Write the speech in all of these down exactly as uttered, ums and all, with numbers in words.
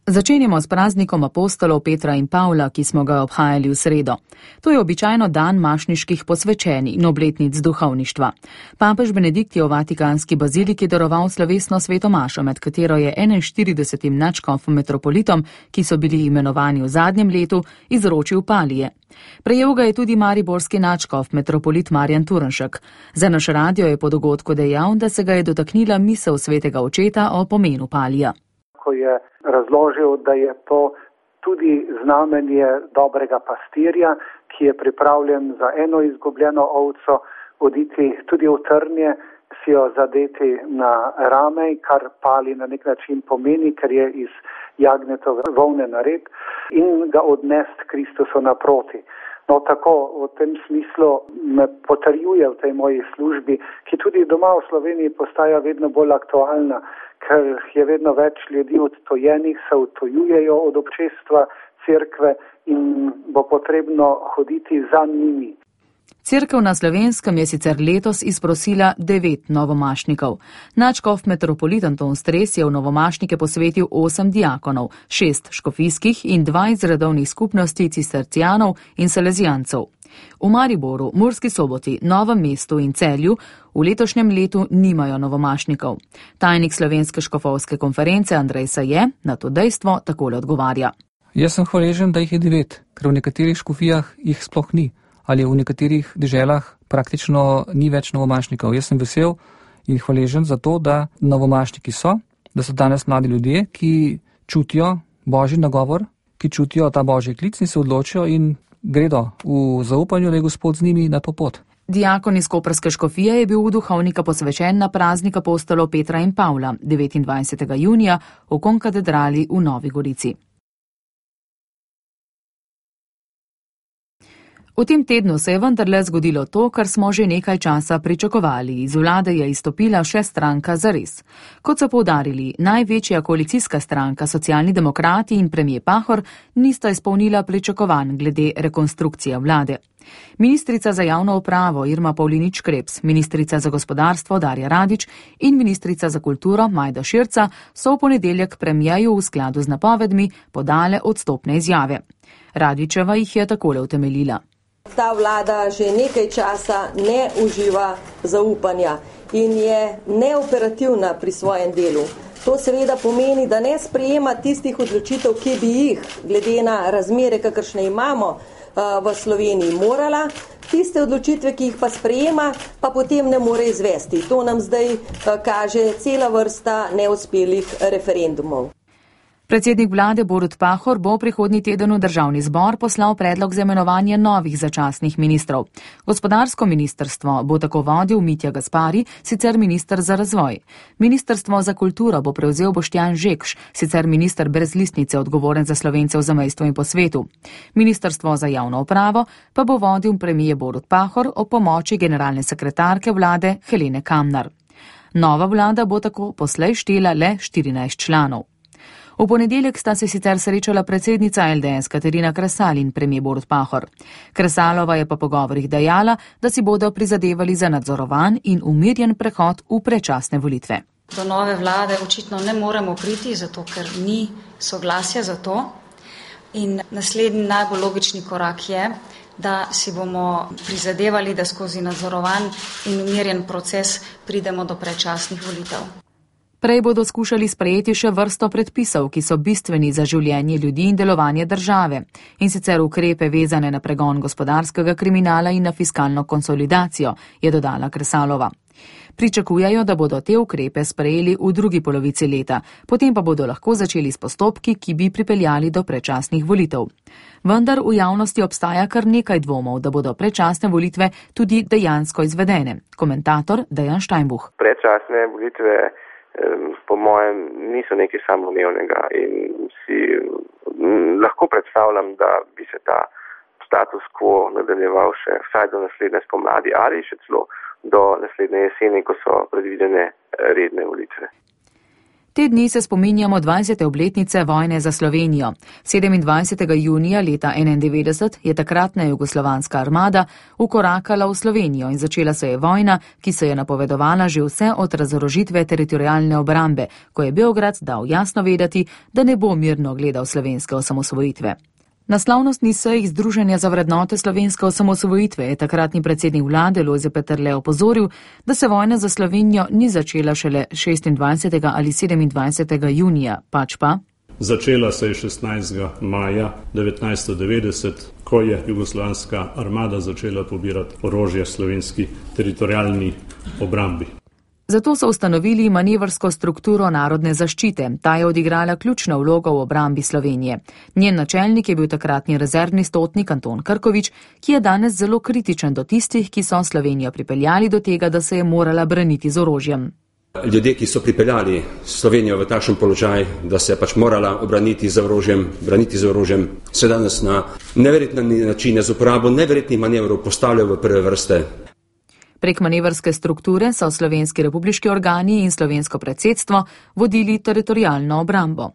Začenjamo s praznikom apostolov Petra in Pavla, ki smo ga obhajali v sredo. To je običajno dan mašniških posvečenj in obletnic duhovništva. Papež Benedikt je v Vatikanski baziliki daroval slovesno sveto mašo, med katero je enainštiridesetim nadškofom metropolitom, ki so bili imenovani v zadnjem letu, izročil palije. Prejel ga je tudi mariborski nadškof metropolit Marjan Turnšek. Za naš radio je po dogodku dejal, da se ga je dotaknila misel svetega očeta o pomenu palija. Ko je razložil, da je to tudi znamenje dobrega pastirja, ki je pripravljen za eno izgubljeno ovco oditi tudi v trnje, si jo zadeti na rame, kar pali na nek način pomeni, ker je iz jagnetove volne nared, in ga odnesti Kristusu naproti. No, tako v tem smislu me potrjuje v tej moji službi, ki tudi doma v Sloveniji postaja vedno bolj aktualna, ker je vedno več ljudi odtojenih, se odtojujejo od občestva cerkve in bo potrebno hoditi za njimi. Cerkev na Slovenskem je sicer letos izprosila devet novomašnikov. Nadškof metropolit Anton Stres je v novomašnike posvetil osem diakonov, šest škofijskih in dva iz redovnih skupnosti cistercijanov in salezijancev. V Mariboru, Murski Soboti, Novem mestu in Celju v letošnjem letu nimajo novomašnikov. Tajnik Slovenske škofovske konference Andrej Saje na to dejstvo takole odgovarja. Jaz sem hvaležen, da jih je devet, ker v nekaterih škofijah jih sploh ni. Ali v nekaterih deželah praktično ni več novomašnikov. Jaz sem vesel in hvaležen za to, da novomašniki so, da so danes mladi ljudje, ki čutijo božji nagovor, ki čutijo ta božji klic in se odločijo in gredo v zaupanju, da je Gospod z njimi na to pot. Diakon iz koprske škofije je bil v duhovnika posvečen na praznik apostolov Petra in Pavla devetindvajsetega junija v konkatedrali v Novi Gorici. V tem tednu se je vendarle zgodilo to, kar smo že nekaj časa pričakovali. Iz vlade je izstopila še stranka Zares. Kot so poudarili, največja koalicijska stranka Socialni demokrati in premijer Pahor nista izpolnila pričakovanj glede rekonstrukcije vlade. Ministrica za javno upravo Irma Pavlinič Krebs, ministrica za gospodarstvo Darja Radič in ministrica za kulturo Majda Širca so v ponedeljek premijeju v skladu z napovedmi podale odstopne izjave. Radičeva jih je takole utemeljila. Ta vlada že nekaj časa ne uživa zaupanja in je neoperativna pri svojem delu. To seveda pomeni, da ne sprejema tistih odločitev, ki bi jih, glede na razmere, kakršne imamo v Sloveniji, morala. Tiste odločitve, ki jih pa sprejema, pa potem ne more izvesti. To nam zdaj kaže cela vrsta neuspelih referendumov. Predsednik vlade Borut Pahor bo prihodnji teden v državni zbor poslal predlog za imenovanje novih začasnih ministrov. Gospodarsko ministrstvo bo tako vodil Mitja Gaspari, sicer minister za razvoj. Ministrstvo za kulturo bo prevzel Boštjan Žekš, sicer minister brez listnice odgovoren za Slovence v zamejstvu in po svetu. Ministrstvo za javno upravo pa bo vodil premijer Borut Pahor ob pomoči generalne sekretarke vlade Helene Kamnar. Nova vlada bo tako poslej štela le štirinajst članov. V ponedeljek sta se sicer srečala predsednica L D S Katarina Kresal in premijer Borut Pahor. Kresalova je po pogovorih dejala, da si bodo prizadevali za nadzorovan in umirjen prehod v predčasne volitve. Do nove vlade očitno ne moremo priti, zato ker ni soglasja za to. In naslednji najbolj logični korak je, da si bomo prizadevali, da skozi nadzorovan in umirjen proces pridemo do predčasnih volitev. Prej bodo skušali sprejeti še vrsto predpisov, ki so bistveni za življenje ljudi in delovanje države, in sicer ukrepe vezane na pregon gospodarskega kriminala in na fiskalno konsolidacijo, je dodala Kresalova. Pričakujejo, da bodo te ukrepe sprejeli v drugi polovici leta, potem pa bodo lahko začeli s postopki, ki bi pripeljali do predčasnih volitev. Vendar v javnosti obstaja kar nekaj dvomov, da bodo predčasne volitve tudi dejansko izvedene. Komentator Dejan Steinbuch. Predčasne volitve po mojem niso nekaj samoumevnega in si lahko predstavljam, da bi se ta status quo nadaljeval še vsaj do naslednje spomladi ali še celo do naslednje jeseni, ko so predvidene redne volitve. Te dni se spominjamo dvajsete obletnice vojne za Slovenijo. sedemindvajsetega junija leta enaindevetdeset je takratna jugoslovanska armada ukorakala v Slovenijo in začela se je vojna, ki se je napovedovala že vse od razorožitve teritorialne obrambe, ko je Beograd dal jasno vedeti, da ne bo mirno gledal slovenske osamosvojitve. Na slavnostni seji Združenja za vrednote slovenske osamosvojitve je takratni predsednik vlade Lojze Peterle opozoril, da se vojna za Slovenijo ni začela šele šestindvajsetega ali sedemindvajsetega junija, pač pa. Začela se je šestnajstega maja devetnajststo devetdeset, ko je jugoslovanska armada začela pobirati orožje slovenski teritorialni obrambi. Zato so ustanovili manevrsko strukturo narodne zaščite. Ta je odigrala ključno vlogo v obrambi Slovenije. Njen načelnik je bil takratni rezervni stotnik Anton Krkovič, ki je danes zelo kritičen do tistih, ki so Slovenijo pripeljali do tega, da se je morala braniti z orožjem. Ljudje, ki so pripeljali Slovenijo v takšen položaj, da se je pač morala obraniti z orožjem, braniti z orožjem, se danes na neverjetne načine z uporabo neverjetnih manevrov postavljajo v prve vrste. Prek manevrske strukture so slovenski republiški organi in slovensko predsedstvo vodili teritorialno obrambo.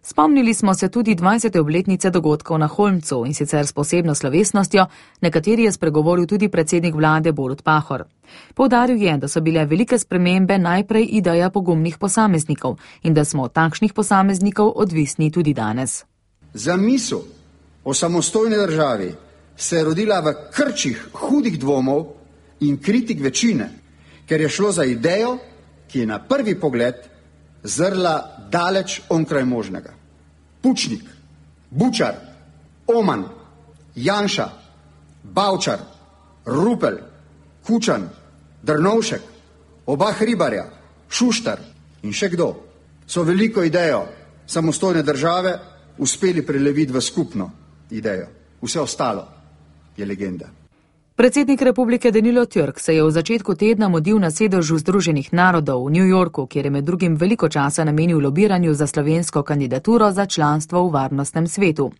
Spomnili smo se tudi dvajsete obletnice dogodkov na Holmcu in sicer s posebno slovesnostjo, na kateri je spregovoril tudi predsednik vlade Borut Pahor. Poudaril je, da so bile velike spremembe najprej ideja pogumnih posameznikov in da smo od takšnih posameznikov odvisni tudi danes. Zamisel o samostojni državi se je rodila v krčih hudih dvomov in kritik večine, ker je šlo za idejo, ki je na prvi pogled zrla daleč onkraj možnega. Pučnik, Bučar, Oman, Janša, Bavčar, Rupel, Kučan, Drnovšek, oba Hribarja, Šuštar in še kdo so veliko idejo samostojne države uspeli preleviti v skupno idejo. Vse ostalo je legenda. Predsednik republike Danilo Türk se je v začetku tedna mudil na sedežu Združenih narodov v New Yorku, kjer je med drugim veliko časa namenil lobiranju za slovensko kandidaturo za članstvo v varnostnem svetu.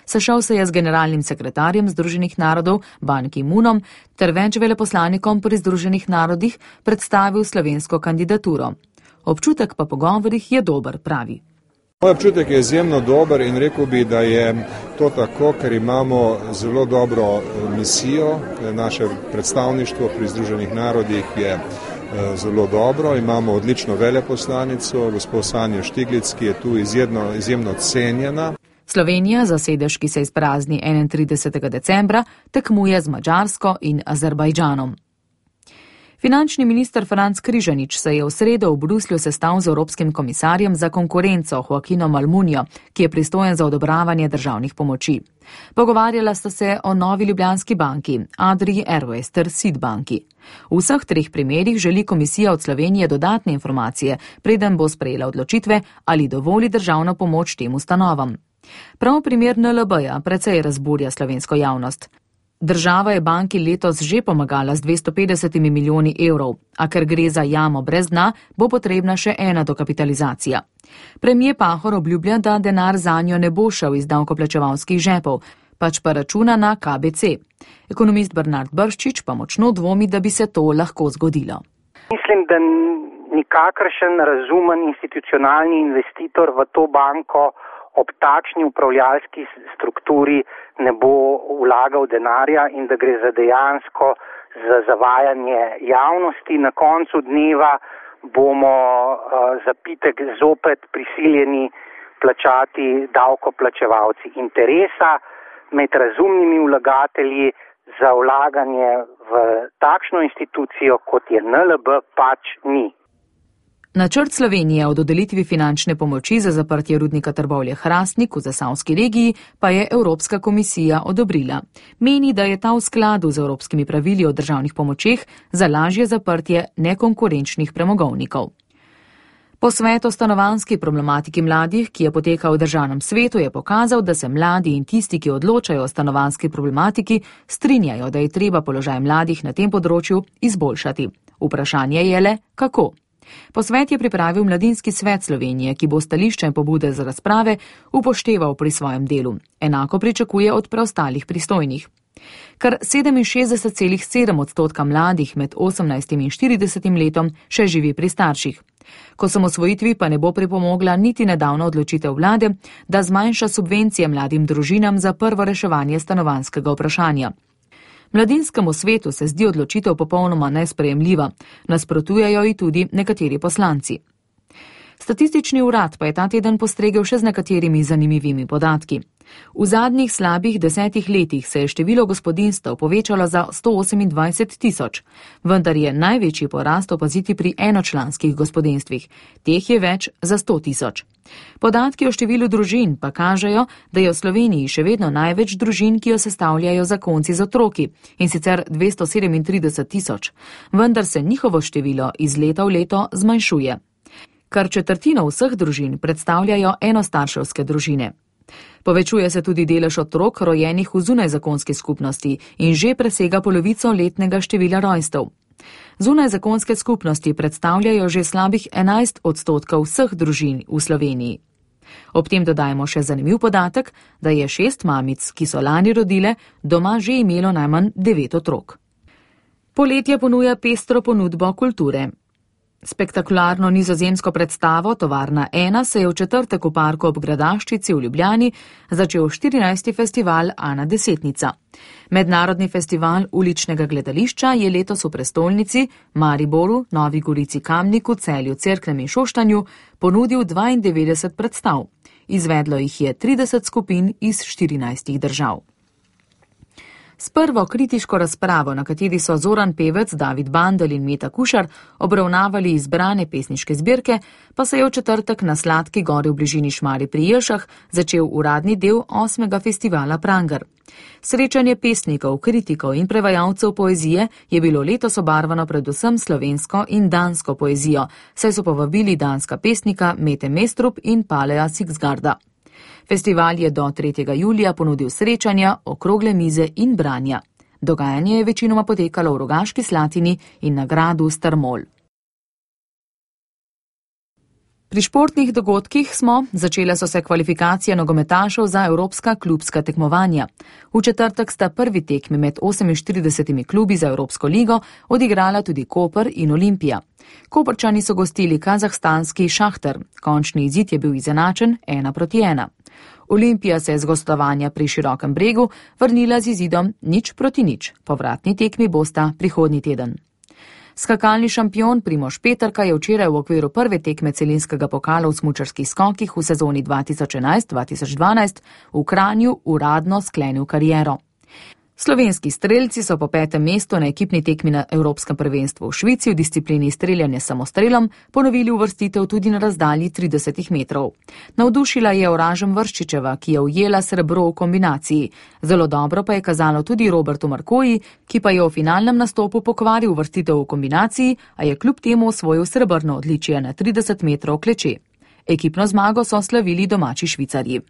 Sešel se je z generalnim sekretarjem Združenih narodov Ban Ki-moonom ter več veleposlanikom pri Združenih narodih predstavil slovensko kandidaturo. Občutek pa po govorih je dober, pravi. Moj občutek je izjemno dober in rekel bi, da je to tako, ker imamo zelo dobro misijo. Naše predstavništvo pri Združenih narodih je zelo dobro. Imamo odlično veleposlanico, gospod Sanjo Štiglic, ki je tu izjemno, izjemno cenjena. Slovenija za sedež, ki se izprazni enaintridesetega decembra, tekmuje z Madžarsko in Azerbajdžanom. Finančni minister Franc Križanič se je v sredo v Bruslju sestal z Evropskim komisarjem za konkurenco Joaquinom Almunijo, ki je pristojen za odobravanje državnih pomoči. Pogovarjala sta se o Novi Ljubljanski banki, Adrii Airways ter Sid banki. V vseh treh primerih želi komisija od Slovenije dodatne informacije, preden bo sprejela odločitve, ali dovoli državno pomoč tem ustanovam. Prav primer N L B-ja precej razburja slovensko javnost. Država je banki letos že pomagala z dvesto petdeset milijoni evrov, a ker gre za jamo brez dna, bo potrebna še ena dokapitalizacija. Premier Pahor obljublja, da denar zanjo ne bo šel iz davkoplačevalskih žepov, pač pa računa na K B C. Ekonomist Bernard Brščič pa močno dvomi, da bi se to lahko zgodilo. Mislim, da nikakršen razumen institucionalni investitor v to banko ob takšni upravljalski strukturi ne bo vlagal denarja in da gre za dejansko za zavajanje javnosti. Na koncu dneva bomo uh, zapitek zopet prisiljeni plačati davkoplačevalci. Interesa med razumnimi vlagatelji za vlaganje v takšno institucijo, kot je N L B, pač ni. Načrt Slovenije o dodelitvi finančne pomoči za zaprtje rudnika Trbovlje-Hrastnik v Zasavski regiji pa je Evropska komisija odobrila. Meni, da je ta v skladu z evropskimi pravili o državnih pomočeh za lažje zaprtje nekonkurenčnih premogovnikov. Posvet o stanovanjski problematiki mladih, ki je potekal v državnem svetu, je pokazal, da se mladi in tisti, ki odločajo o stanovanjski problematiki, strinjajo, da je treba položaj mladih na tem področju izboljšati. Vprašanje je le, kako. Posvet je pripravil Mladinski svet Slovenije, ki bo stališče in pobude za razprave upošteval pri svojem delu. Enako pričakuje od preostalih pristojnih. Kar sedeminšestdeset celih sedem odstotka mladih med osemnajstim in štiridesetim letom še živi pri starših. K osamosvojitvi pa ne bo pripomogla niti nedavna odločitev vlade, da zmanjša subvencije mladim družinam za prvo reševanje stanovanjskega vprašanja. Mladinskemu svetu se zdi odločitev popolnoma nesprejemljiva, nasprotujejo ji tudi nekateri poslanci. Statistični urad pa je ta teden postregel še z nekaterimi zanimivimi podatki. V zadnjih slabih desetih letih se je število gospodinjstev povečalo za sto osemindvajset tisoč, vendar je največji porast opaziti pri enočlanskih gospodinjstvih. Teh je več za sto tisoč. Podatki o številu družin pa kažejo, da je v Sloveniji še vedno največ družin, ki jo sestavljajo zakonci z otroki, in sicer dvesto sedemintrideset tisoč, vendar se njihovo število iz leta v leto zmanjšuje. Kar četrtino vseh družin predstavljajo enostarševske družine. Povečuje se tudi delež otrok rojenih v zunajzakonski skupnosti in že presega polovico letnega števila rojstev. Zunajzakonske skupnosti predstavljajo že slabih enajst odstotkov vseh družin v Sloveniji. Ob tem dodajmo še zanimiv podatek, da je šest mamic, ki so lani rodile, doma že imelo najmanj devet otrok. Poletje ponuja pestro ponudbo kulture. Spektakularno nizozemsko predstavo Tovarna ena se je v četrtek v parku ob Gradaščici v Ljubljani začel štirinajsti festival Ana Desetnica. Mednarodni festival uličnega gledališča je letos v prestolnici, Mariboru, Novi Gorici, Kamniku, Celju, Cerknem in Šoštanju ponudil dvaindevetdeset predstav. Izvedlo jih je trideset skupin iz štirinajstih držav. S prvo kritiško razpravo, na kateri so Zoran Pevec, David Bandelj in Meta Kušar obravnavali izbrane pesniške zbirke, pa se je v četrtek na Sladki gori v bližini Šmarij pri Jelšah začel uradni del osmega festivala Pranger. Srečanje pesnikov, kritikov in prevajalcev poezije je bilo letos obarvano predvsem slovensko in dansko poezijo, saj so povabili danska pesnika Mete Mestrup in Paleja Sigsgarda. Festival je do tretjega julija ponudil srečanja, okrogle mize in branja. Dogajanje je večinoma potekalo v Rogaški Slatini in na gradu Strmol. Pri športnih dogodkih smo, začele so se kvalifikacije nogometašev za evropska klubska tekmovanja. V četrtek sta prvi tekmi med oseminštiridesetimi klubi za Evropsko ligo odigrala tudi Koper in Olimpija. Koprčani so gostili kazahstanski Šahtar, končni izid je bil izenačen ena proti ena. Olimpija se je z gostovanja pri Širokem bregu vrnila z izidom nič proti nič. Povratni tekmi bosta prihodnji teden. Skakalni šampion Primož Peterka je včeraj v okviru prve tekme celinskega pokala v smučarskih skokih v sezoni dva tisoč enajst dva tisoč dvanajst v Kranju uradno sklenil kariero. Slovenski strelci so po petem mestu na ekipni tekmi na Evropskem prvenstvu v Švici v disciplini streljanje s samostrelom ponovili uvrstitev tudi na razdalji trideset metrov. Navdušila je Oražem Vrščičeva, ki je ujela srebro v kombinaciji. Zelo dobro pa je kazalo tudi Robertu Markoji, ki pa je v finalnem nastopu pokvaril uvrstitev v kombinaciji, a je kljub temu osvojil srebrno odličje na trideset metrov kleče. Ekipno zmago so slavili domači Švicarji.